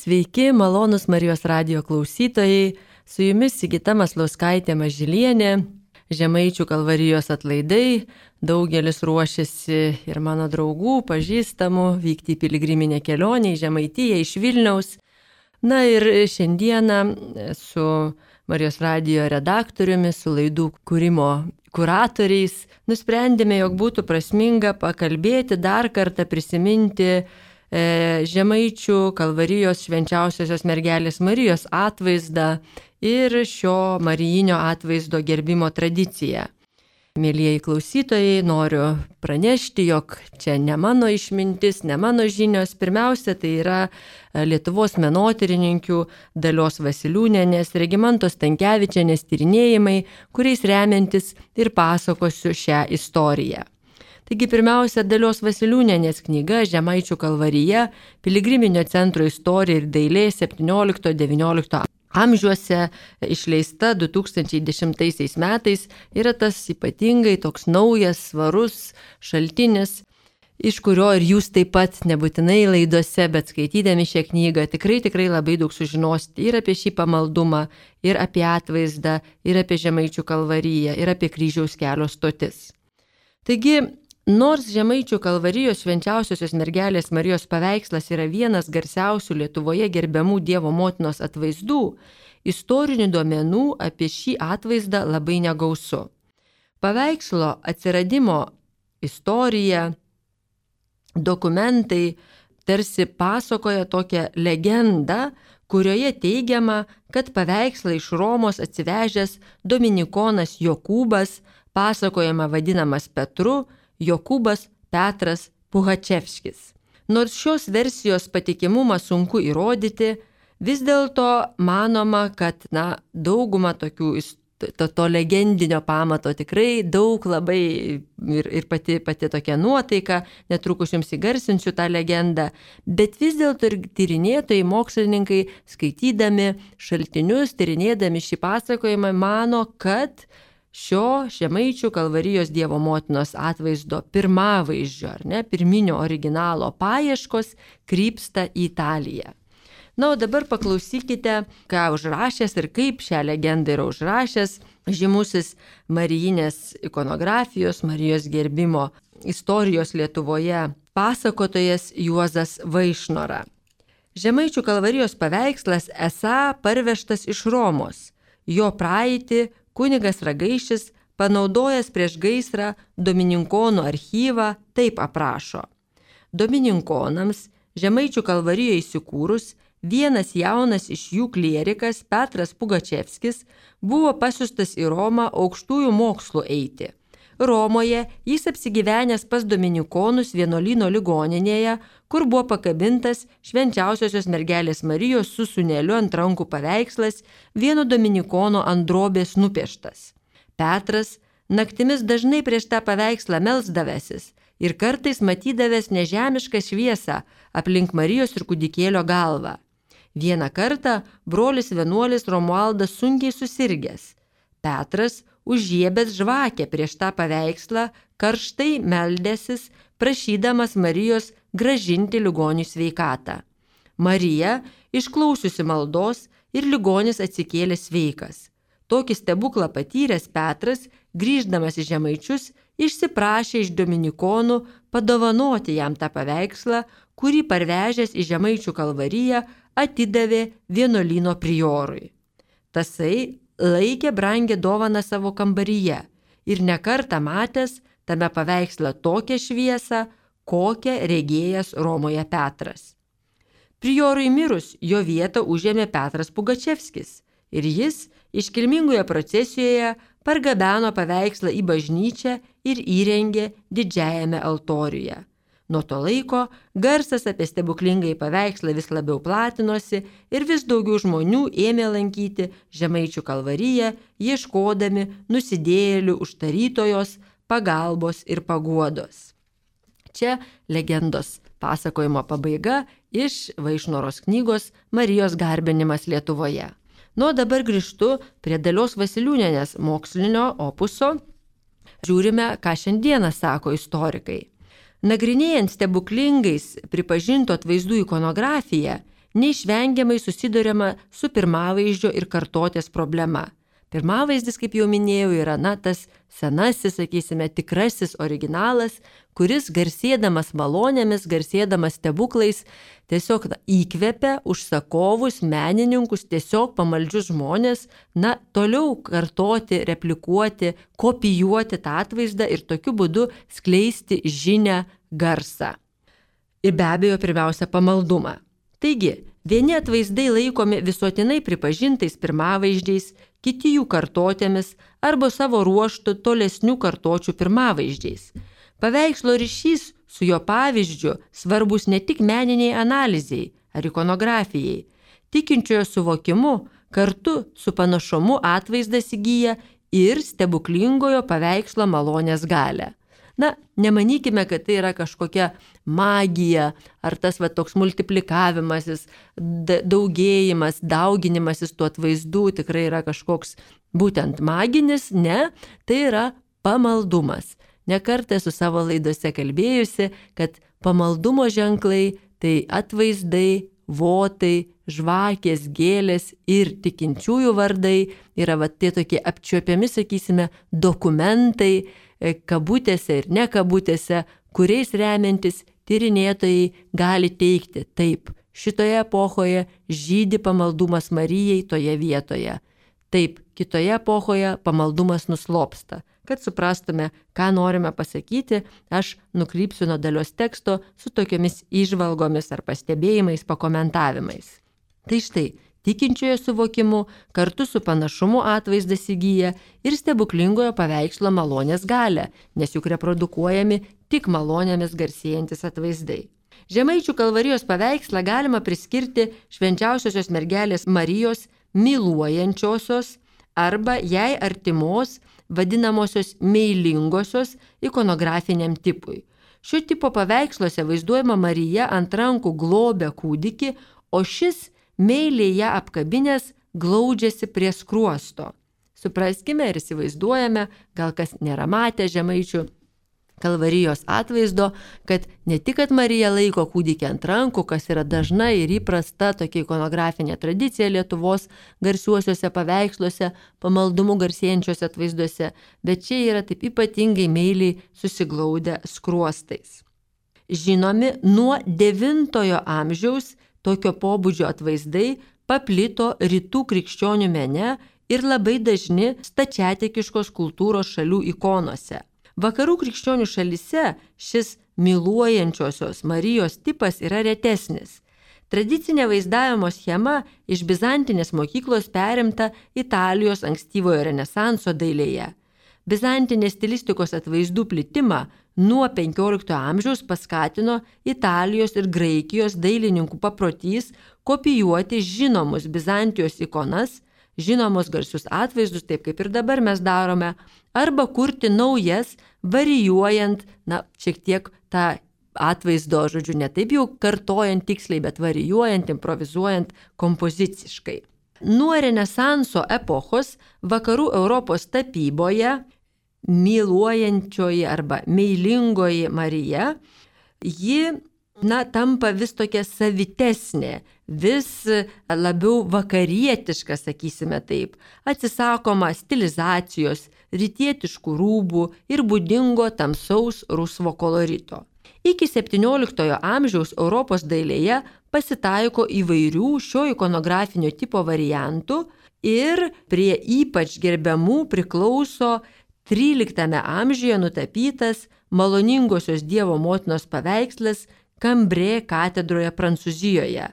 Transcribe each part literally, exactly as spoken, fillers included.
Sveiki, malonus Marijos radijo klausytojai, su jumis Sigita Maslauskaitė Mažylienė, Žemaičių Kalvarijos atlaidai, daugelis ruošiasi ir mano draugų, pažįstamų vykti į piligriminę kelionę į Žemaitiją iš Vilniaus. Na ir šiandieną su Marijos radijo redaktoriumi, su laidų kūrimo kuratoriais nusprendėme, jog būtų prasminga pakalbėti, dar kartą prisiminti Žemaičių Kalvarijos švenčiausiosios mergelės Marijos atvaizdą ir šio marijinio atvaizdo gerbimo tradiciją. Mėlyjeji klausytojai, noriu pranešti, jog čia ne mano išmintis, ne mano žinios. Pirmiausia, tai yra Lietuvos menotyrininkių Dalios Vasiliūnienės, Regimantos Stankevičienės tyrinėjimai, kuriais remiantis ir pasakosiu šią istoriją. Taigi pirmiausia, Dalios Vasiliūnienės knyga Žemaičių Kalvarija, piligriminio centro istorija ir dailė septyniolikto devyniolikto amžiuose, išleista du tūkstančiai dešimtaisiais metais, yra tas ypatingai toks naujas, svarus šaltinis, iš kurio ir jūs taip pat nebūtinai laidose, bet skaitydami šią knygą tikrai tikrai labai daug sužinosite ir apie šį pamaldumą, ir apie atvaizdą, ir apie Žemaičių Kalvariją, ir apie kryžiaus kelio stotis. Taigi, nors Žemaičių Kalvarijos švenčiausiosios mergelės Marijos paveikslas yra vienas garsiausių Lietuvoje gerbiamų Dievo motinos atvaizdų, istorinių duomenų apie šį atvaizdą labai negausu. Paveikslo atsiradimo istorija, dokumentai tarsi pasakoja tokią legendą, kurioje teigiama, kad paveikslą iš Romos atsivežęs dominikonas Jokūbas, pasakojama vadinamas Petru, Jokūbas Petras Puhačevskis. Nors šios versijos patikimumą sunku įrodyti, vis dėlto manoma, kad na, dauguma tokių to, to legendinio pamato tikrai daug labai ir, ir pati, pati tokia nuotaika, netrukus jums įgarsinsiu tą legendą, bet vis dėlto ir tyrinėtojai, mokslininkai, skaitydami šaltinius, tyrinėdami šį pasakojimą, mano, kad šio Žemaičių Kalvarijos Dievo motinos atvaizdo pirmavaizdžio, ar ne, pirminio originalo paieškos krypsta į Italiją. Na, o dabar paklausykite, ką užrašęs ir kaip šią legendą yra užrašęs žymusis marijinės ikonografijos, Marijos gerbimo istorijos Lietuvoje pasakotojas Juozas Vaišnora. Žemaičių Kalvarijos paveikslas esą parvežtas iš Romos. Jo praeitį kunigas Ragaišis, panaudojęs prieš gaisrą Domininkonų archyvą, taip aprašo. Domininkonams Žemaičių Kalvarijoje įsikūrus, vienas jaunas iš jų klierikas Petras Pugačevskis buvo pasiųstas į Romą aukštųjų mokslų eiti. Romoje jis apsigyvenęs pas Dominikonus vienuolyno ligoninėje, kur buvo pakabintas švenčiausiosios mergelės Marijos su sūneliu ant rankų paveikslas, vieno dominikono ant drobės nupieštas. Petras naktimis dažnai prieš tą paveikslą melsdavęsis ir kartais matydavęs nežemišką šviesą aplink Marijos ir kūdikėlio galvą. Vieną kartą brolis vienuolis Romualdas sunkiai susirgęs. Petras, užžiebęs žvakę prieš tą paveikslą, karštai meldėsis, prašydamas Marijos grąžinti ligonių sveikatą. Marija, išklausiusi maldos, ir ligonis atsikėlė sveikas. Tokį stebuklą patyręs Petras, grįždamas į Žemaičius, išsiprašė iš dominikonų padovanoti jam tą paveikslą, kurį parvežęs į Žemaičių Kalvariją atidavė vienuolyno priorui. Tasai laikė brangę dovaną savo kambaryje ir nekartą matęs tame paveiksle tokią šviesą, kokią regėjęs Romoje Petras. Priorui mirus jo vietą užėmė Petras Pugačevskis ir jis iškilmingoje procesijoje pargabeno paveikslą į bažnyčią ir įrengė didžiajame altoriuje. Nuo to laiko garsas apie stebuklingąjį paveikslą vis labiau platinosi ir vis daugiau žmonių ėmė lankyti Žemaičių Kalvariją, ieškodami nusidėjėlių užtarytojos pagalbos ir paguodos. Čia legendos pasakojimo pabaiga iš Vaišnoros knygos Marijos garbinimas Lietuvoje. Nu, dabar grįžtu prie Dalios Vasiliūnienės mokslinio opuso. Žiūrime, ką šiandieną sako istorikai. Nagrinėjant stebuklingais pripažintų atvaizdų ikonografiją, neišvengiamai susiduriama su pirmavaizdžio ir kartotės problema. Pirmavaizdis, kaip jau minėjau, yra na, tas senasis, sakysime, tikrasis originalas, kuris garsėdamas malonėmis, garsėdamas stebuklais, tiesiog na, įkvepia užsakovus, menininkus, tiesiog pamaldžius žmonės, na, toliau kartoti, replikuoti, kopijuoti tą atvaizdą ir tokiu būdu skleisti žinią, garsą. Ir be abejo, pirmiausia, pamaldumą. Taigi, vieni atvaizdai laikomi visuotinai pripažintais pirmavaizdžiais, kiti jų kartotėmis arba savo ruoštų tolesnių kartočių pirmavaizdžiais. Paveikslo ryšys su jo pavyzdžiu svarbus ne tik meniniai analizei ar ikonografijai. Tikinčiojo suvokimu kartu su panašumu atvaizdas įgyja ir stebuklingojo paveikslo malonės galią. Na, nemanykime, kad tai yra kažkokia magija, ar tas va, toks multiplikavimasis, daugėjimas, dauginimasis tų atvaizdų tikrai yra kažkoks būtent maginis, ne, tai yra pamaldumas. Nekartą su savo laidose kalbėjusi, kad pamaldumo ženklai tai atvaizdai, votai, žvakės, gėlės ir tikinčiųjų vardai yra va, tie tokie apčiuopiami, sakysime, dokumentai, kabutėse ir ne kabutėse, kuriais remiantis tyrinėtojai gali teikti, taip, šitoje epochoje žydi pamaldumas Marijai toje vietoje. Taip, kitoje epochoje pamaldumas nuslopsta. Kad suprastume, ką norime pasakyti, aš nukrypsiu nuo dalios teksto su tokiomis įžvalgomis ar pastebėjimais, pakomentavimais. Tai štai, tikinčiojo suvokimu kartu su panašumu atvaizdas įgyja ir stebuklingojo paveikslo malonės galią, nes juk reprodukuojami tik malonėmis garsėjantis atvaizdai. Žemaičių Kalvarijos paveikslą galima priskirti švenčiausiosios mergelės Marijos myluojančiosios arba jai artimos vadinamosios meilingosios ikonografiniam tipui. Šio tipo paveiksluose vaizduojama Marija ant rankų globia kūdikį, o šis meiliai ją apkabinės glaudžiasi prie skruosto. Supraskime ir įsivaizduojame, gal kas nėra matę Žemaičių Kalvarijos atvaizdo, kad ne tik, kad Marija laiko kūdikį ant rankų, kas yra dažna ir įprasta tokia ikonografinė tradicija Lietuvos garsiuosiuose paveiksluose, pamaldumu garsėjančiuose atvaizduose, bet čia yra taip ypatingai meiliai susiglaudę skruostais. Žinomi nuo devintojo amžiaus tokio pobūdžio atvaizdai paplito rytų krikščionių mene ir labai dažni stačiatikiškos kultūros šalių ikonose. Vakarų krikščionių šalyse šis myluojančiosios Marijos tipas yra retesnis. Tradicinė vaizdavimo schema iš bizantinės mokyklos perimta Italijos ankstyvojo renesanso dailėje. Bizantinės stilistikos atvaizdų plitimą nuo penkioliktojo amžiaus paskatino Italijos ir Graikijos dailininkų paprotys kopijuoti žinomus Bizantijos ikonas, žinomus garsius atvaizdus, taip kaip ir dabar mes darome, arba kurti naujas, varijuojant, na, šiek tiek tą atvaizdo, žodžiu, ne taip jau kartojant tiksliai, bet varijuojant, improvizuojant kompoziciškai. Nuo Renesanso epochos vakarų Europos tapyboje myluojančioji arba meilingoji Marija, ji, na, tampa vis tokia savitesnė, vis labiau vakarietiška, sakysime taip, atsisakoma stilizacijos, rytietiškų rūbų ir būdingo tamsaus rusvo kolorito. Iki septynioliktojo amžiaus Europos dailėje pasitaiko įvairių šio ikonografinio tipo variantų ir prie ypač gerbiamų priklauso tryliktame amžiuje nutapytas maloningosios Dievo motinos paveikslas Kambrė katedroje Prancūzijoje.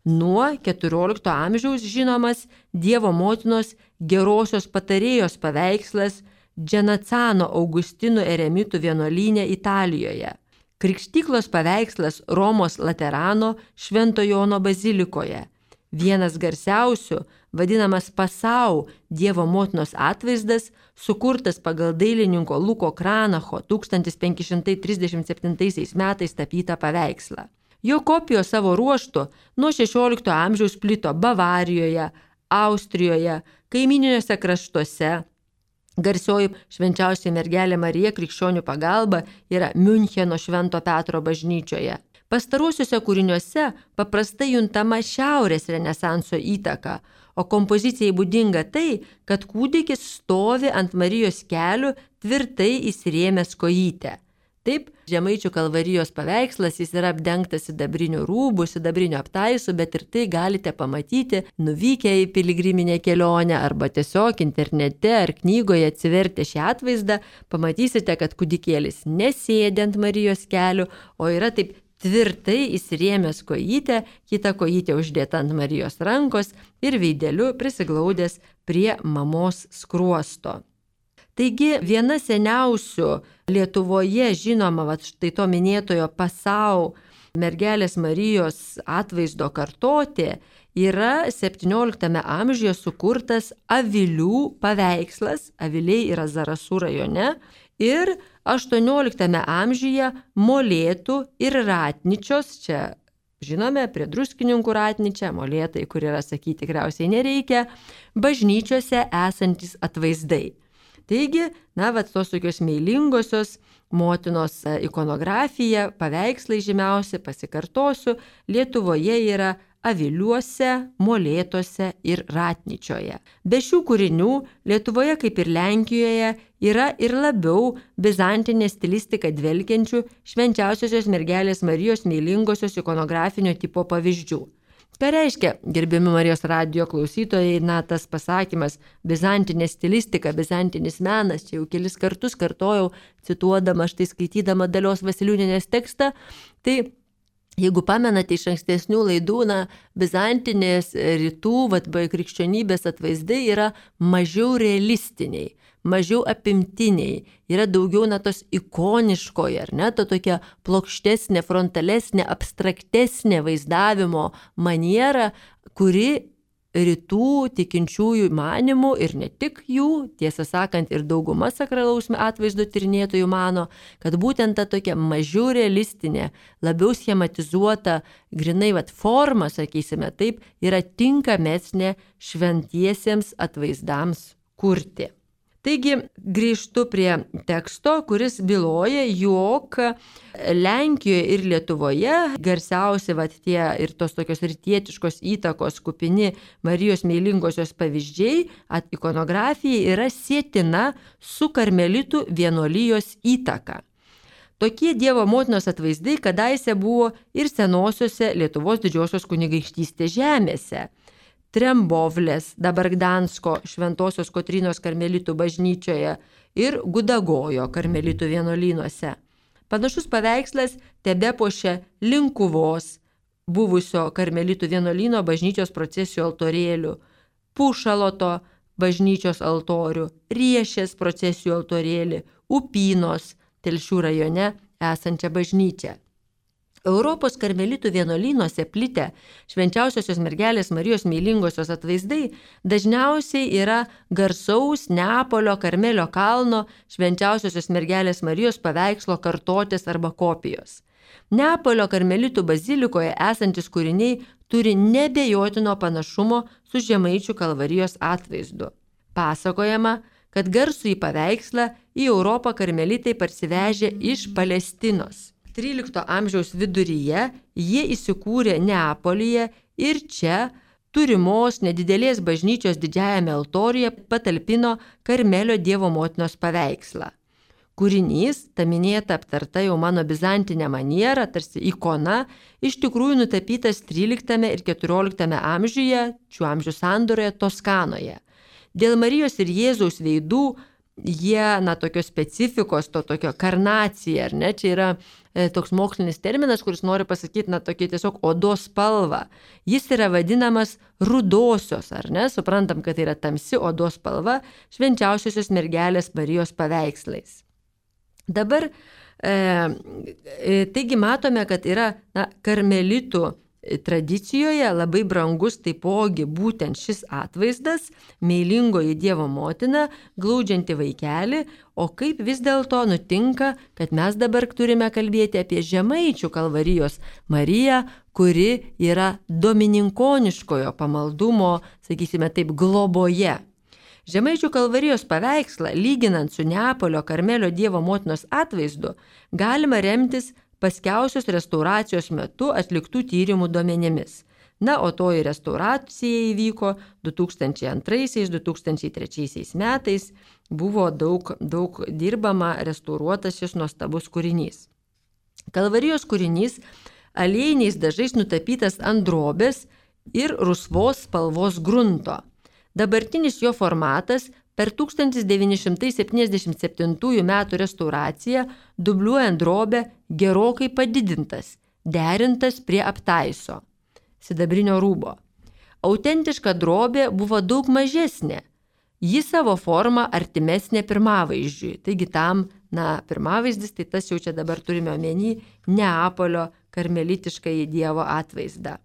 Nuo keturiolikto amžiaus žinomas Dievo motinos gerosios patarėjos paveikslas Dženacano Augustinų eremitų vienuolyne Italijoje. Krikštyklos paveikslas Romos Laterano Švento Jono bazilikoje. Vienas garsiausių, vadinamas Pasau Dievo motinos atvaizdas, sukurtas pagal dailininko Luko Kranacho tūkstantis penki šimtai trisdešimt septintaisiais metais tapytą paveikslą. Jo kopijos savo ruožtu nuo šešiolikto amžiaus plito Bavarijoje, Austrijoje, kaimyniniuose kraštuose. Garsioji švenčiausioji mergelė Marija krikščionių pagalba yra Miuncheno Švento Petro bažnyčioje. Pastaruosiuose kūriniuose paprastai juntama šiaurės renesanso įtaka, o kompozicijai būdinga tai, kad kūdikis stovi ant Marijos kelių tvirtai įsirėmęs kojytę. Taip, Žemaičių Kalvarijos paveikslas, jis yra apdengtas sidabriniu rūbu, sidabriniu aptaisu, bet ir tai galite pamatyti nuvykę į piligriminę kelionę arba tiesiog internete ar knygoje atsivertę šį atvaizdą, pamatysite, kad kūdikėlis nesėdi ant Marijos kelių, o yra taip tvirtai įsirėmęs kojytę, kita kojytė uždėta ant Marijos rankos ir veideliu prisiglaudęs prie mamos skruosto. Taigi viena seniausių Lietuvoje žinoma, vat štai to minėtojo Pasau mergelės Marijos atvaizdo kartotė yra septynioliktame amžiuje sukurtas avilių paveikslas, aviliai yra Zarasų rajone, ir aštuonioliktame amžiuje Molėtų ir Ratničios, čia žinome, prie Druskininkų Ratničia, Molėtai, kur yra sakyti tikriausiai nereikia, bažnyčiose esantis atvaizdai. Taigi, na, vat tos tokios meilingosios motinos ikonografija, paveikslai žymiausi, pasikartosiu, Lietuvoje yra Aviliuose, Molėtuose ir Ratničioje. Be šių kūrinių Lietuvoje, kaip ir Lenkijoje, yra ir labiau bizantinė stilistika dvelkiančių švenčiausiosios mergelės Marijos meilingosios ikonografinio tipo pavyzdžių. Ką reiškia, gerbiami Marijos radijo klausytojai, na, tas pasakymas bizantinė stilistika, bizantinis menas, čia jau kelis kartus kartojau, cituodama, štai skaitydama Dalios Vasiliūnienės tekstą, tai jeigu pamenate iš ankstesnių laidų, na, bizantinės rytų, vat, krikščionybės atvaizdai yra mažiau realistiniai, mažiau apimtiniai, yra daugiau na tos ikoniškoji, ar ne, ta tokia plokštesnė, frontalesnė, abstraktesnė vaizdavimo maniera, kuri rytų tikinčiųjų manimų ir ne tik jų, tiesą sakant, ir dauguma sakralaus atvaizdo tyrinėtojų mano, kad būtent ta tokia mažiau realistinė, labiau schematizuota, grinai vat forma, sakysime taip, yra tinkamesnė šventiesiems atvaizdams kurti. Taigi grįžtu prie teksto, kuris byloja, jog Lenkijoje ir Lietuvoje garsiausi vat tie ir tos tokios rytietiškos įtakos kupini Marijos meilingosios pavyzdžiai, ikonografija yra sietina su karmelitų vienuolijos įtaka. Tokie Dievo motinos atvaizdai kadaise buvo ir senosiose Lietuvos didžiosios kunigaikštystės žemėse. Trembovlės, dabar Gdansko Šventosios Kotrynos karmelitų bažnyčioje ir Gudagojo karmelitų vienuolynuose. Panašus paveikslas tebepuošia Linkuvos buvusio karmelitų vienuolyno bažnyčios procesijų altorėlių, Pušaloto bažnyčios altorių, Riešės procesijų altorėlį, Upynos Telšių rajone esančią bažnyčią. Europos karmelitų vienuolynuose plitę švenčiausiosios mergelės Marijos meilingosios atvaizdai dažniausiai yra garsaus Neapolio Karmelio kalno švenčiausiosios mergelės Marijos paveikslo kartotės arba kopijos. Neapolio karmelitų bazilikoje esantis kūriniai turi nebejotino panašumo su Žemaičių Kalvarijos atvaizdu. Pasakojama, kad garsųjį paveikslą į Europą karmelitai parsivežė iš Palestinos. trylikto amžiaus viduryje jie įsikūrė Neapolyje ir čia turimos nedidelės bažnyčios didžiajame altoriuje patalpino Karmelio Dievo motinos paveikslą. Kūrinys, ta minėta aptarta jau mano bizantinė maniera, tarsi ikona, iš tikrųjų nutapytas tryliktame ir keturioliktame amžiuje, šių amžių sandoroje Toskanoje. Dėl Marijos ir Jėzaus veidų jie, na, tokios specifikos, to tokio karnacija, ar ne, čia yra e, toks mokslinis terminas, kuris nori pasakyti, na, tokia tiesiog odos spalva. Jis yra vadinamas rudosios, ar ne, suprantam, kad tai yra tamsi odos spalva švenčiausiosios mergelės Marijos paveikslais. Dabar, e, e, taigi matome, kad yra, na, karmelitų tradicijoje labai brangus taipogi būtent šis atvaizdas, meilingoji Dievo motina, glaudžianti vaikelį, o kaip vis dėlto nutinka, kad mes dabar turime kalbėti apie Žemaičių Kalvarijos Mariją, kuri yra domininkoniškojo pamaldumo, sakysime taip, globoje. Žemaičių Kalvarijos paveikslą, lyginant su Neapolio Karmelio Dievo motinos atvaizdu, galima remtis paskiausios restauracijos metu atliktų tyrimų duomenimis. Na, o toji restauracija įvyko du tūkstančiai antraisiais - du tūkstančiai trečiaisiais metais. Buvo daug, daug dirbama, restauruotas šis nuostabus kūrinys. Kalvarijos kūrinys aliejiniais dažais nutapytas ant drobės ir rusvos spalvos grunto. Dabartinis jo formatas per tūkstantis devyni šimtai septyniasdešimt septintųjų metų restauraciją dubliuojant drobę gerokai padidintas, derintas prie aptaiso sidabrinio rūbo. Autentiška drobė buvo daug mažesnė. Ji savo formą artimesnė pirmavaizdžiui. Taigi tam, na, pirmavaizdis, tai tas jau čia dabar turime omeny Neapolio karmelitiškąjį Dievo atvaizdą.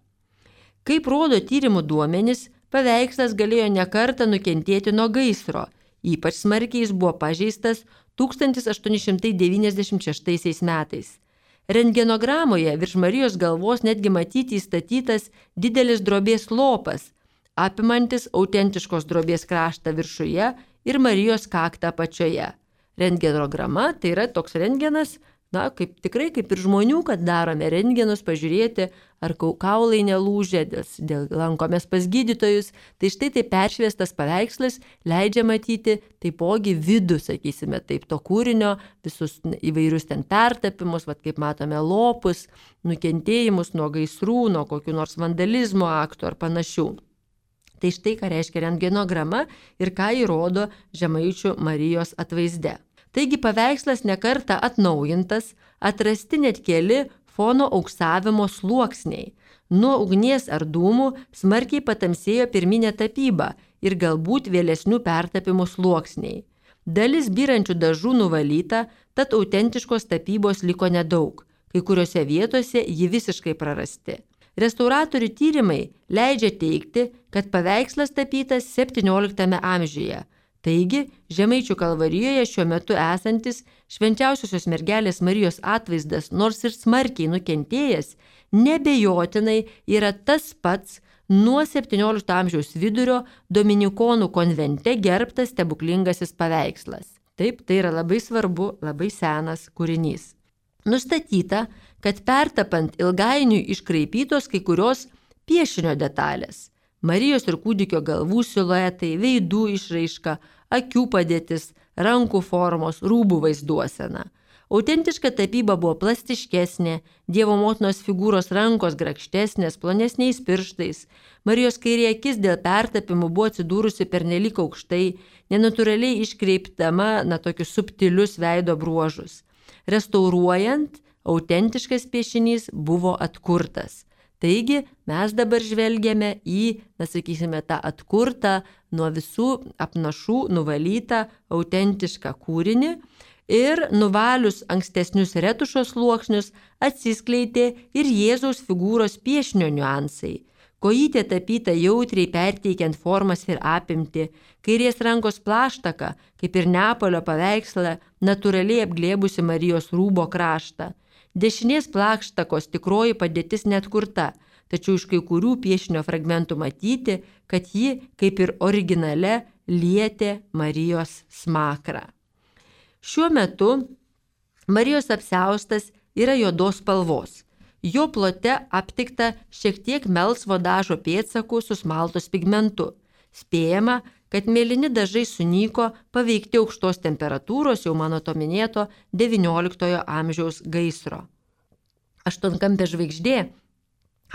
Kaip rodo tyrimų duomenys, paveikslas galėjo nekartą nukentėti nuo gaisro. Ypač smarkiai jis buvo pažeistas tūkstantis aštuoni šimtai devyniasdešimt šeštaisiais metais. Rentgenogramoje virš Marijos galvos netgi matyti įstatytas didelis drobės lopas, apimantis autentiškos drobės kraštą viršuje ir Marijos kaktą apačioje. Rentgenograma tai yra toks rentgenas, na, kaip, tikrai kaip ir žmonių, kad darome rentgenus, pažiūrėti, ar kaulai nelūžė, dėl, dėl lankomės pas gydytojus. Tai štai tai peršviestas paveikslas leidžia matyti taipogi vidų, sakysime, taip, to kūrinio, visus įvairius ten pertapimus, vat, kaip matome, lopus, nukentėjimus nuo gaisrų, nuo kokių nors vandalizmo aktų ar panašių. Tai štai ką reiškia rentgenograma ir ką įrodo Žemaičių Marijos atvaizde. Taigi paveikslas nekarta atnaujintas, atrasti net keli fono auksavimo sluoksniai. Nuo ugnies ar dūmų smarkiai patamsėjo pirminė tapyba ir galbūt vėlesnių pertapimų sluoksniai. Dalis byrančių dažų nuvalyta, tad autentiškos tapybos liko nedaug. Kai kuriuose vietose ji visiškai prarasti. Restauratorių tyrimai leidžia teigti, kad paveikslas tapytas septynioliktame amžiuje. Taigi, Žemaičių Kalvarijoje šiuo metu esantis švenčiausiosios mergelės Marijos atvaizdas, nors ir smarkiai nukentėjęs, nebejotinai yra tas pats nuo septyniolikto amžiaus vidurio dominikonų konvente gerbtas stebuklingasis paveikslas. Taip, tai yra labai svarbu, labai senas kūrinys. Nustatyta, kad pertapant ilgainiui iškraipytos kai kurios piešinio detalės. Marijos ir kūdikio galvų siluetai, veidų išraiška, akių padėtis, rankų formos, rūbų vaizduosena. Autentiška tapyba buvo plastiškesnė, Dievo motinos figūros rankos grakštesnės, plonesniais pirštais. Marijos kairė akis dėl pertapimų buvo atsidūrusi pernelyg aukštai, nenatūraliai iškreipdama na tokius subtilius veido bruožus. Restauruojant, autentiškas piešinys buvo atkurtas. Taigi mes dabar žvelgiame į, na sakysime, tą atkurtą, nuo visų apnašų nuvalytą autentišką kūrinį ir nuvalius ankstesnius retušo sluoksnius atsiskleidė ir Jėzaus figūros piešinio niuansai. Kojytė tapyta jautriai perteikiant formas ir apimti, kairės rankos plaštaka, kaip ir Neapolio paveiksle, natūraliai apglėbusi Marijos rūbo kraštą. Dešinės plakštakos tikroji padėtis neatkurta, tačiau iš kai kurių piešinio fragmentų matyti, kad ji, kaip ir originale, lietė Marijos smakrą. Šiuo metu Marijos apsiaustas yra juodos spalvos. Jo plote aptikta šiek tiek melsvo dažo pėdsakų su smaltos pigmentu. Spėjama, kad mėlyni dažai sunyko paveikti aukštos temperatūros, jau mano to minėto devynioliktojo amžiaus gaisro. Aštuonkampė žvaigždė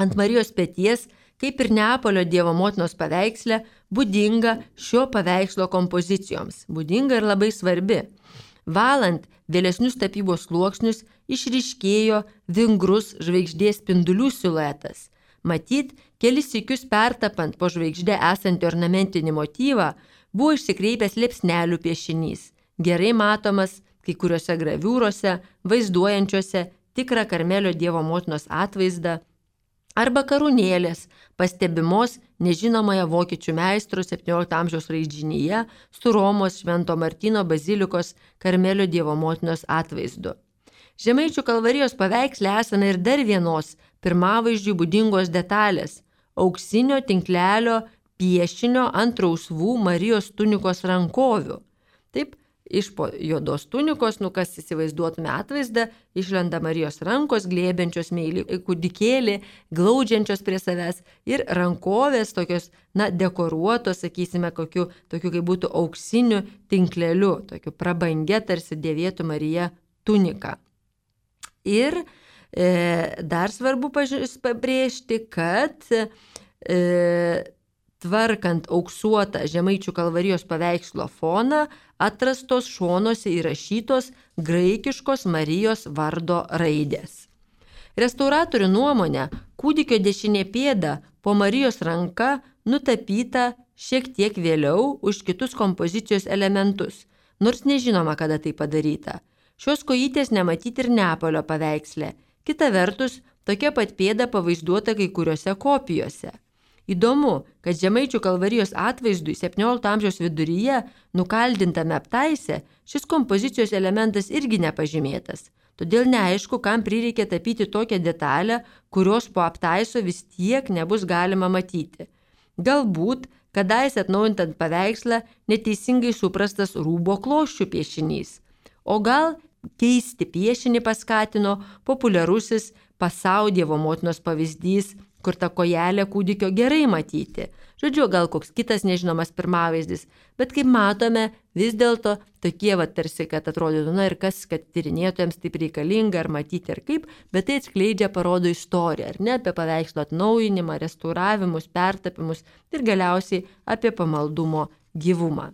ant Marijos peties, kaip ir Neapolio Dievo motinos paveiksle, būdinga šio paveikslo kompozicijoms, būdinga ir labai svarbi. Valant vėlesnius tapybos sluoksnius išryškėjo vingrus žvaigždės spindulių siluetas. Matyt, kelis sykius pertapant po žvaigždę esantį ornamentinį motyvą buvo išsikreipęs liepsnelių piešinys, gerai matomas kai kuriuose graviūrose, vaizduojančiuose tikrą Karmelio Dievo motinos atvaizdą, arba karūnėlės, pastebimos nežinomoje vokiečių meistro septyniolikto amžiaus raižinyje su Romos Švento Martyno bazilikos Karmelio Dievo motinos atvaizdu. Žemaičių Kalvarijos paveiksle esame ir dar vienos pirmavaizdžių būdingos detalės – auksinio tinklelio piešinio ant rausvų Marijos tunikos rankovių. Taip, Iš po juodos tunikos, nu kas įsivaizduotume atvaizdą, išlenda Marijos rankos, glėbiančios meilį kūdikėlį, glaudžiančios prie savęs ir rankovės tokios, na, dekoruotos, sakysime, kokiu, tokiu kaip būtų auksiniu tinkleliu, tokiu prabangia tarsi dėvėtų Marija tunika. Ir e, dar svarbu pabrėžti, kad e, tvarkant auksuotą Žemaičių Kalvarijos paveikslo foną, atrastos šonuose įrašytos graikiškos Marijos vardo raidės. Restauratorių nuomonė, kūdikio dešinė pėda po Marijos ranka nutapyta šiek tiek vėliau už kitus kompozicijos elementus, nors nežinoma, kada tai padaryta. Šios kojytės nematyti ir Neapolio paveiksle. Kita vertus, tokia pat pėda pavaizduota kai kuriuose kopijose. Įdomu, kad Žemaičių Kalvarijos atvaizdui septyniolikto amžiaus viduryje nukaldintame aptaise šis kompozicijos elementas irgi nepažymėtas. Todėl neaišku, kam prireikė tapyti tokią detalę, kurios po aptaiso vis tiek nebus galima matyti. Galbūt, kadaise atnaujintant paveikslą, neteisingai suprastas rūbo klosčių piešinys. O gal keisti piešinį paskatino populiarusis Pasau Dievo motinos pavyzdys, kur ta kojelė kūdikio gerai matyti. Žodžiu, gal koks kitas nežinomas pirmavaizdis, bet kaip matome, vis dėlto tokie va tarsi, kad atrodytų, na ir kas, kad tyrinėtojams taip reikalinga ar matyti ar kaip, bet tai atskleidžia, parodo istoriją, ar ne, apie paveikslo atnaujinimą, restauravimus, pertapimus ir galiausiai apie pamaldumo gyvumą.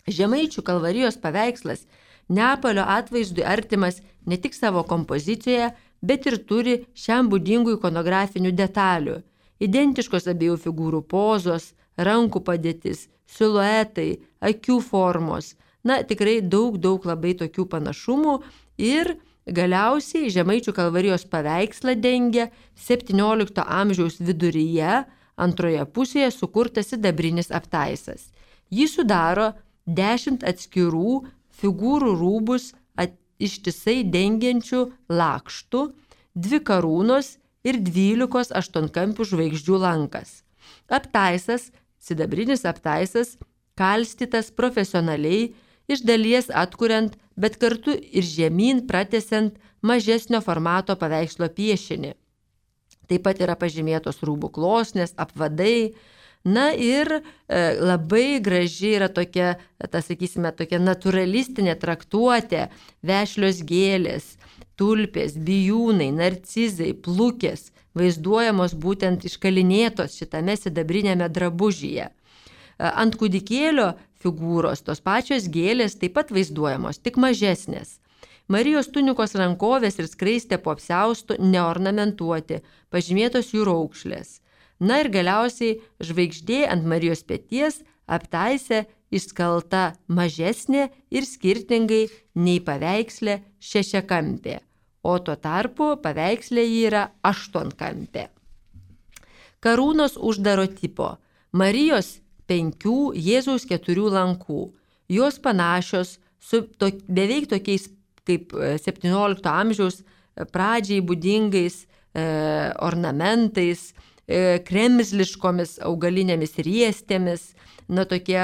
Žemaičių Kalvarijos paveikslas Neapolio atvaizdui artimas ne tik savo kompozicijoje, bet ir turi šiam būdingų ikonografinių detalių. Identiškos abiejų figūrų pozos, rankų padėtis, siluetai, akių formos. Na, tikrai daug, daug labai tokių panašumų ir galiausiai Žemaičių Kalvarijos paveikslą dengia septyniolikto amžiaus viduryje antroje pusėje sukurtas sidabrinis aptaisas. Jį sudaro dešimt atskirų figūrų rūbus at, ištisai dengiančių lakštų, dvi karūnos ir dvylikos aštuonkampių žvaigždžių lankas. Aptaisas, sidabrinis aptaisas, kalstytas profesionaliai, iš dalies atkuriant, bet kartu ir žemyn pratęsiant mažesnio formato paveikslo piešinį. Taip pat yra pažymėtos rūbų klosnės, apvadai. Na ir e, labai graži yra tokia, ta, sakysime, tokia naturalistinė traktuotė, vešlios gėlės, tulpės, bijūnai, narcizai, plukės, vaizduojamos būtent iškalinėtos šitame sidabrinėme drabužyje. E, ant kūdikėlio figūros tos pačios gėlės taip pat vaizduojamos, tik mažesnės. Marijos tunikos rankovės ir skraistė po apsiaustu neornamentuoti, pažymėtos jų raukšlės. Na ir galiausiai žvaigždė ant Marijos peties aptaise išskalta mažesnė ir skirtingai nei paveiksle šešiakampė, o tuo tarpu paveiksle ji yra aštuonkampė. Karūnos uždaro tipo. Marijos penkių, Jėzaus keturių lankų. Jos panašios su to, beveik tokiais kaip septyniolikto amžiaus pradžiai būdingais e, ornamentais, kremzliškomis augalinėmis riestėmis, na tokie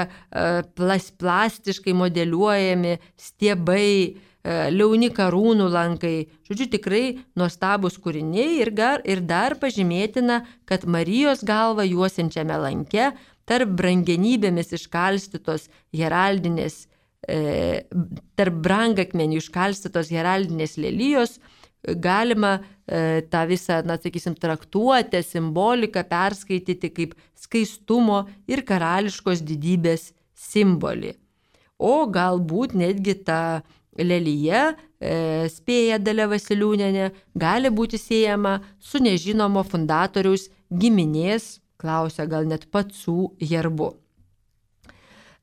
plas, plastiškai modeliuojami stiebai, liauni karūnų lankai. Žodžiu, tikrai nuostabus kūriniai ir, gar, ir dar pažymėtina, kad Marijos galvą juosiančiame lanke tarp brangenybėmis iškalstytos heraldinės, e, tarp brangakmenių iškalstytos heraldinės lelijos galima e, tą visą, na, sakysim, traktuotę, simboliką perskaityti kaip skaistumo ir karališkos didybės simbolį. O galbūt netgi ta lelija, e, spėja Dalia Vasiliūnienė, gali būti siejama su nežinomo fundatoriaus giminės, klausia gal net pacų herbu.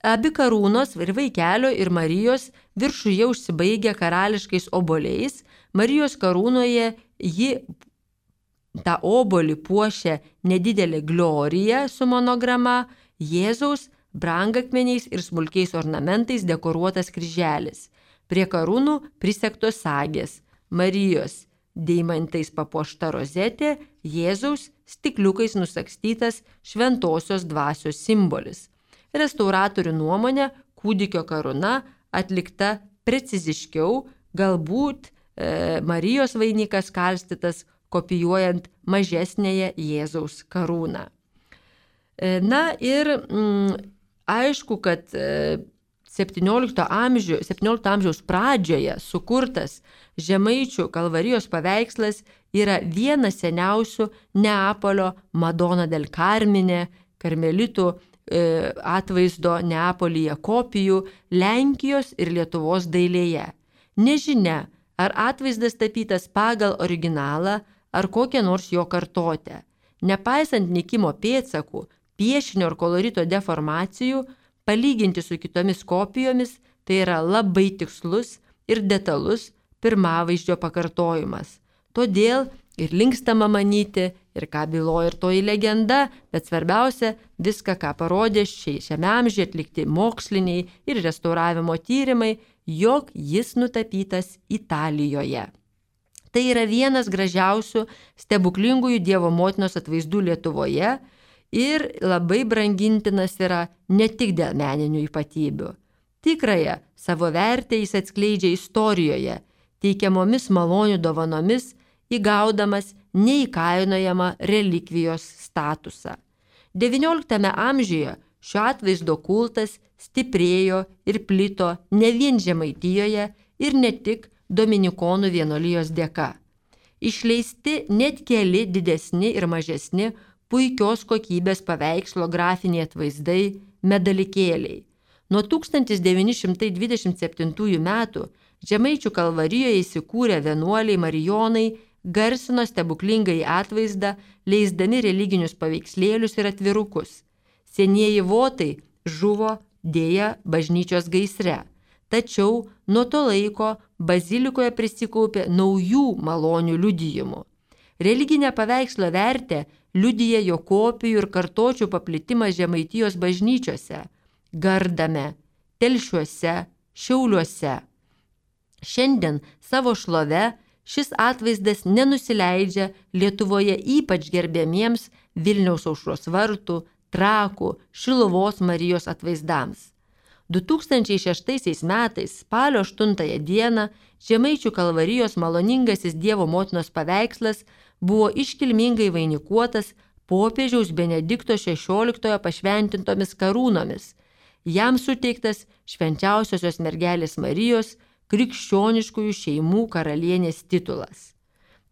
Abi karūnos ir vaikelio ir Marijos viršuje užsibaigia karališkais oboliais. Marijos karūnoje ji tą obolį puošia nedidelė glorija su monograma, Jėzaus brangakmeniais ir smulkiais ornamentais dekoruotas kryželis. Prie karūnų prisegtos sagės, Marijos deimantais papuošta rozetė, Jėzaus stikliukais nusagstytas šventosios dvasios simbolis. Restauratorių nuomonė, kūdikio karūna atlikta preciziškiau, galbūt e, Marijos vainikas karstytas kopijuojant mažesnėje Jėzaus karūną. E, na ir mm, aišku, kad e, septyniolikto amžiaus pradžioje sukurtas Žemaičių Kalvarijos paveikslas yra vienas seniausių Neapolio Madonna del Carmine, karmelitų e, atvaizdo Neapolyje kopijų Lenkijos ir Lietuvos dailėje. Nežinia, ar atvaizdas tapytas pagal originalą, ar kokią nors jo kartotę. Nepaisant nykimo pėdsakų, piešinio ir kolorito deformacijų, palyginti su kitomis kopijomis, tai yra labai tikslus ir detalus pirmavaizdžio pakartojimas. Todėl ir linkstama manyti, ir ką byloja ir toji legenda, bet svarbiausia, viską, ką parodė šiame amžiuje atlikti moksliniai ir restauravimo tyrimai, jog jis nutapytas Italijoje. Tai yra vienas gražiausių stebuklingųjų Dievo motinos atvaizdų Lietuvoje ir labai brangintinas yra ne tik dėl meninių ypatybių. Tikrąją savo vertę jis atskleidžia istorijoje, teikiamomis malonių dovanomis, įgaudamas neįkainojamą relikvijos statusą. devynioliktame amžiuje šio atvaizdo kultas stiprėjo ir plito ne vien Žemaitijoje ir ne tik Dominikonų vienuolijos dėka. Išleisti net keli didesni ir mažesni puikios kokybės paveikslo grafiniai atvaizdai, medalikėliai. Nuo tūkstantis devyni šimtai dvidešimt septintųjų metų Žemaičių Kalvarijoje įsikūrę vienuoliai marijonai garsino stebuklingąjį atvaizdą, leisdami religinius paveikslėlius ir atvirukus. Senieji votai žuvo dėja bažnyčios gaisre. Tačiau nuo to laiko bazilikoje prisikaupė naujų malonių liudijimų. Religinę paveikslo vertę liudija jo kopijų ir kartočių paplitimas Žemaitijos bažnyčiose – Gardame, Telšiuose, Šiauliuose. Šiandien savo šlove šis atvaizdas nenusileidžia Lietuvoje ypač gerbiamiems Vilniaus Aušros vartų, Trakų, Šiluvos Marijos atvaizdams. du tūkstančiai šeštaisiais metais spalio aštuntąją dieną Žemaičių Kalvarijos maloningasis Dievo motinos paveikslas buvo iškilmingai vainikuotas popiežiaus Benedikto šešioliktojo pašventintomis karūnomis. Jam suteiktas švenčiausiosios mergelės Marijos krikščioniškųjų šeimų karalienės titulas.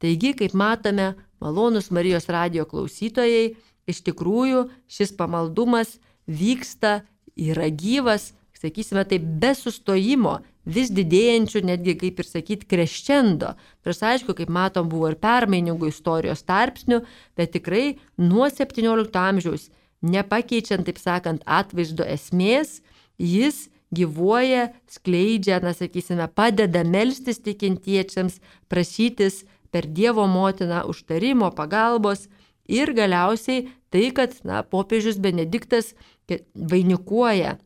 Taigi, kaip matome, malonūs Marijos radijo klausytojai, iš tikrųjų šis pamaldumas vyksta, yra gyvas, sakysime taip, be sustojimo, vis didėjančių, netgi kaip ir sakyti, kreščendo. Nors aišku, kaip matom, buvo ir permainingų istorijos tarpsnių, bet tikrai nuo septyniolikto amžiaus, nepakeičiant, taip sakant, atvaizdo esmės, jis gyvuoja, skleidžia, na, sakysime, padeda melstis tikintiečiams, prašytis per Dievo motiną užtarimo, pagalbos ir galiausiai tai, kad, na, popiežius Benediktas vainikuoja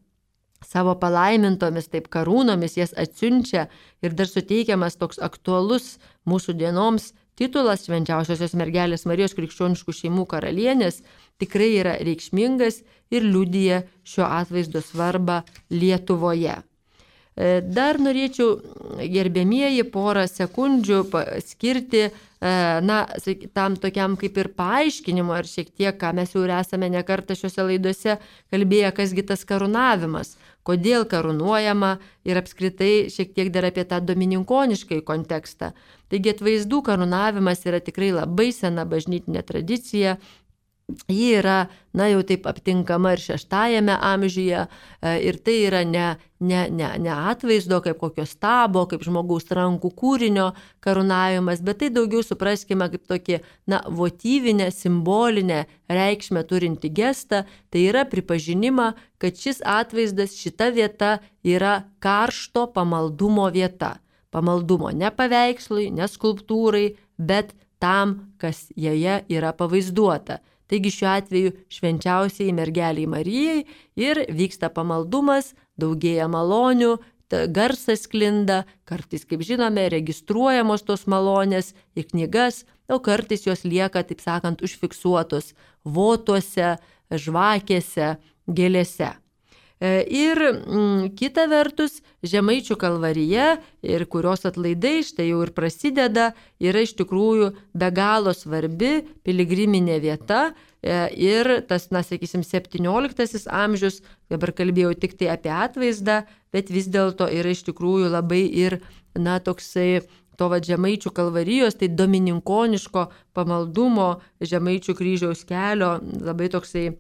savo palaimintomis taip karūnomis, jas atsiunčia ir dar suteikiamas toks aktualus mūsų dienoms titulas švenčiausiosios mergelės Marijos krikščioniškų šeimų karalienės tikrai yra reikšmingas ir liudija šio atvaizdo svarbą Lietuvoje. Dar norėčiau, gerbėmieji, porą sekundžių skirti, na, tam tokiam kaip ir paaiškinimo, ar šiek tiek, ką mes jau esame nekartą šiuose laiduose kalbėję, kasgi tas karūnavimas, kodėl karūnuojama ir apskritai šiek tiek dar apie tą domininkoniškai kontekstą. Taigi atvaizdų karūnavimas yra tikrai labai sena bažnytinė tradicija. Ji yra, na, jau taip aptinkama ir šeštajame amžiuje ir tai yra ne, ne, ne, ne atvaizdo kaip kokio stabo, kaip žmogaus rankų kūrinio karūnavimas, bet tai daugiau supraskime kaip tokį, na, votyvinę, simbolinę reikšmę turinti gestą, tai yra pripažinimą, kad šis atvaizdas, šita vieta yra karšto pamaldumo vieta. Pamaldumo ne paveikslui, ne skulptūrai, bet tam, kas joje yra pavaizduota. Taigi šiuo atveju švenčiausiai mergeliai Marijai ir vyksta pamaldumas, daugėja malonių, garsas sklinda, kartais, kaip žinome, registruojamos tos malonės į knygas, o kartais jos lieka, taip sakant, užfiksuotos votuose, žvakėse, gėlėse. Ir mm, kita vertus, Žemaičių kalvarija, ir kurios atlaidai štai jau ir prasideda, yra iš tikrųjų be galo svarbi piligriminė vieta. Ir tas, na, sakysim, septynioliktasis amžius, dabar kalbėjau tik tai apie atvaizdą, bet vis dėlto yra iš tikrųjų labai ir, na, toksai to va Žemaičių kalvarijos, tai domininkoniško pamaldumo Žemaičių kryžiaus kelio, labai toksai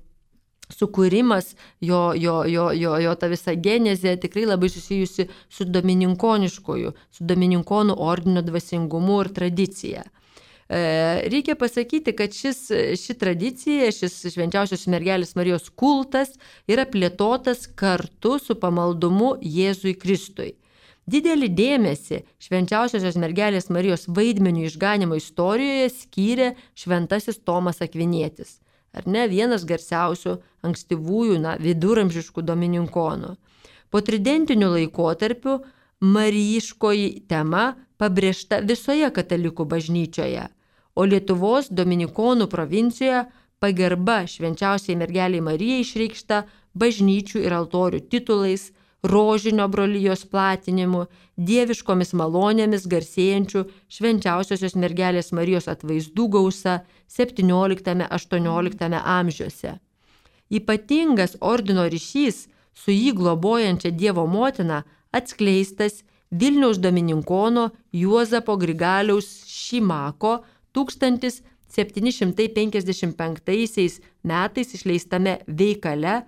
sukūrimas, jo, jo, jo, jo, jo ta visa genezė tikrai labai susijusi su domininkoniškoju, su domininkonų ordino dvasingumu ir tradicija. Reikia pasakyti, kad šis, ši tradicija, šis švenčiausios mergelės Marijos kultas yra plėtotas kartu su pamaldumu Jėzui Kristui. Didelį dėmesį švenčiausiosios mergelės Marijos vaidmenių išganimo istorijoje skyrė šventasis Tomas Akvinietis. Ar ne, vienas garsiausių ankstyvųjų, na, viduramžiškų domininkonų. Po tridentinių laikotarpių marijiškoji tema pabrėžta visoje katalikų bažnyčioje, o Lietuvos dominikonų provincijoje pagarba švenčiausiai mergeliai Marijai išreikšta bažnyčių ir altorių titulais, rožinio brolijos platinimu, dieviškomis malonėmis garsėjančių švenčiausiosios mergelės Marijos atvaizdų gausa septynioliktame aštuonioliktame amžiuose. Ypatingas ordino ryšys su jį globojančia Dievo motina atskleistas Vilniaus domininkono Juozapo Grigaliaus Šimako tūkstantis septyni šimtai penkiasdešimt penktaisiais metais išleistame veikale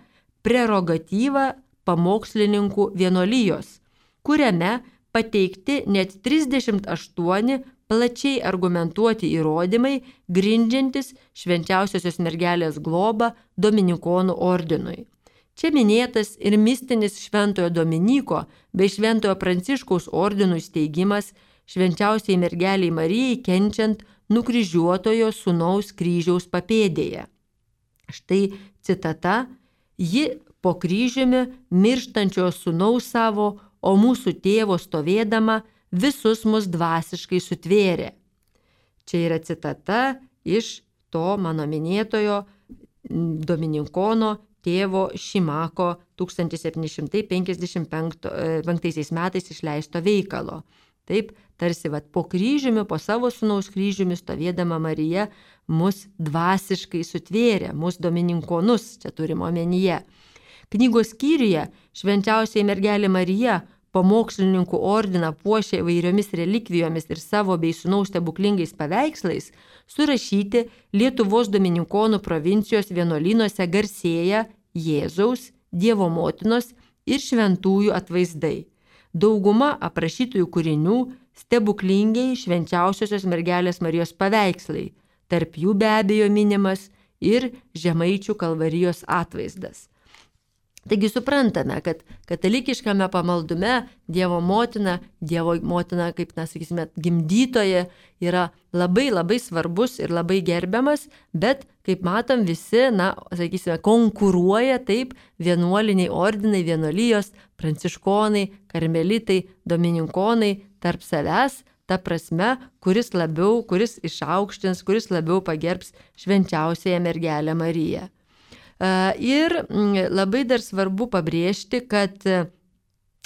Prerogatyva pamokslininkų vienuolijos, kuriame pateikti net trisdešimt aštuoni plačiai argumentuoti įrodymai, grindžiantis švenčiausiosios mergelės globą dominikonų ordinui. Čia minėtas ir mistinis šventojo Dominyko bei šventojo Pranciškaus ordinų steigimas švenčiausiai mergeliai Marijai kenčiant nukryžiuotojo sūnaus kryžiaus papėdėje. Štai citata: ji po kryžiumi mirštančio sūnaus savo, o mūsų tėvo stovėdama visus mus dvasiškai sutvėrė. Čia yra citata iš to mano minėtojo domininkono tėvo Šimako tūkstantis septyni šimtai penkiasdešimt penktaisiais metais išleisto veikalo. Taip, tarsi vat, po kryžiumi, po savo sūnaus kryžiumi stovėdama Marija mus dvasiškai sutvėrė, mus domininkonus, čia turime omenyje. Knygos skyriuje švenčiausiai mergelė Marija pamokslininkų ordiną puošia įvairiomis relikvijomis ir savo bei sūnaus stebuklingais paveikslais, surašyti Lietuvos domininkonų provincijos vienuolynuose garsėja Jėzaus, Dievo motinos ir šventųjų atvaizdai. Dauguma aprašytųjų kūrinių stebuklingiai švenčiausiosios mergelės Marijos paveikslai, tarp jų be abejo minimas ir Žemaičių kalvarijos atvaizdas. Taigi suprantame, kad katalikiškame pamaldume Dievo motina, Dievo motina, kaip, na, sakysime, gimdytoja, yra labai labai svarbus ir labai gerbiamas, bet, kaip matom, visi, na, sakysime, konkuruoja taip vienuoliniai ordinai, vienuolijos, pranciškonai, karmelitai, domininkonai tarp savęs, ta prasme, kuris labiau, kuris išaukštins, kuris labiau pagerbs švenčiausiąją mergelę Mariją. Ir labai dar svarbu pabrėžti, kad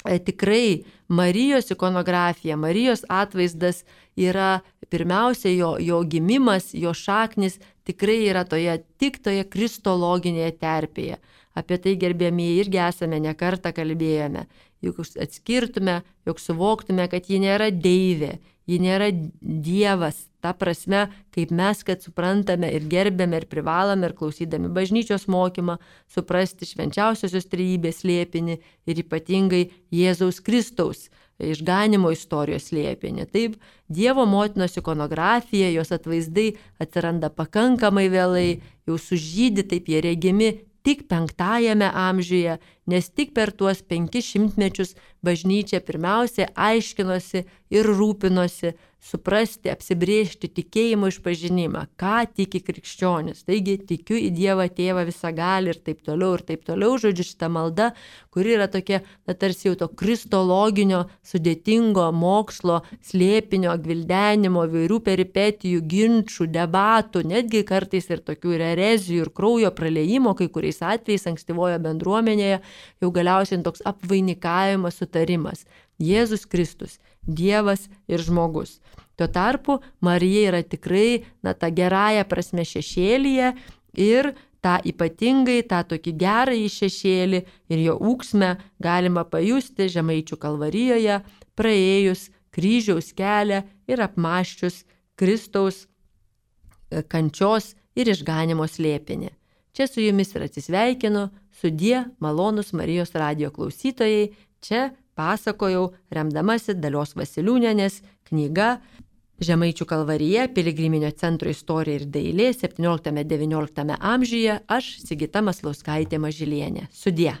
tikrai Marijos ikonografija, Marijos atvaizdas yra pirmiausia jo, jo gimimas, jo šaknis tikrai yra toje, tik toje kristologinėje terpėje. Apie tai, gerbėmieji, irgi esame ne kartą kalbėjome. Juk atskirtume, jog suvoktume, kad ji nėra deivė, ji nėra dievas. Ta prasme, kaip mes, kad suprantame ir gerbėme ir privalome ir klausydami bažnyčios mokymą, suprasti švenčiausiosios trejybės slėpinį ir ypatingai Jėzaus Kristaus išganimo istorijos slėpinį. Taip, Dievo motinos ikonografija, jos atvaizdai atsiranda pakankamai vėlai, jau sužydi, taip jie regimi tik penktajame amžiuje, nes tik per tuos penkis šimtmečius bažnyčia pirmiausia aiškinosi ir rūpinosi suprasti, apsibrėžti tikėjimo išpažinimą, ką tiki krikščionis. Taigi tikiu į Dievą Tėvą visagalį ir taip toliau, ir taip toliau. Žodžiu, šita malda, kuri yra tokia, na, tarsi jau to kristologinio, sudėtingo mokslo, slėpinio, gvildenimo, vairių peripetijų, ginčių, debatų, netgi kartais ir tokių ir erezijų, ir kraujo praliejimo, kai kuriais atvejais ankstyvojo bendruomenėje, jau galiausiai toks apvainikavimas, sutarimas. Jėzus Kristus, Dievas ir žmogus. Tuo tarpu Marija yra tikrai, na, ta gerąja prasme šešėlyje ir tą ypatingai, tą tokį gerąjį šešėlį ir jo ūksmę galima pajusti Žemaičių Kalvarijoje, praėjus kryžiaus kelią ir apmąsčius Kristaus kančios ir išganimo slėpinį. Čia su jumis ir atsisveikinu, sudie malonūs Marijos radijo klausytojai, čia pasakojau remdamasi Dalios Vasiliūnienės knyga Žemaičių Kalvarija, Piligriminio centro istorija ir dailė septynioliktame devynioliktame amžiuje, aš Sigita Maslauskaitė Mažylienė. Sudie.